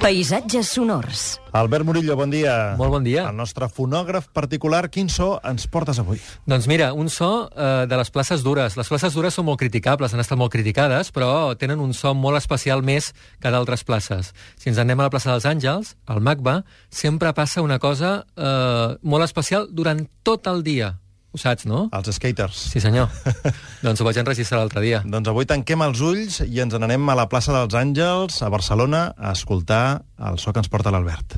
Paisatges sonors. Albert Murillo, bon dia. Molt bon dia. El nostre fonògraf particular, quin so ens portes avui? Doncs mira, un so de les places dures. Les places dures són molt criticables, han estat molt criticades, però tenen un so molt especial més que d'altres places. Si ens anem a la plaça dels Àngels, al MACBA, sempre passa una cosa molt especial durant tot el dia. Ho saps, no? Els skaters. Sí, senyor. Doncs ho vaig enregistrar l'altre dia. Doncs avui tanquem els ulls i ens n'anem a la plaça dels Àngels, a Barcelona, a escoltar el so que ens porta l'Albert.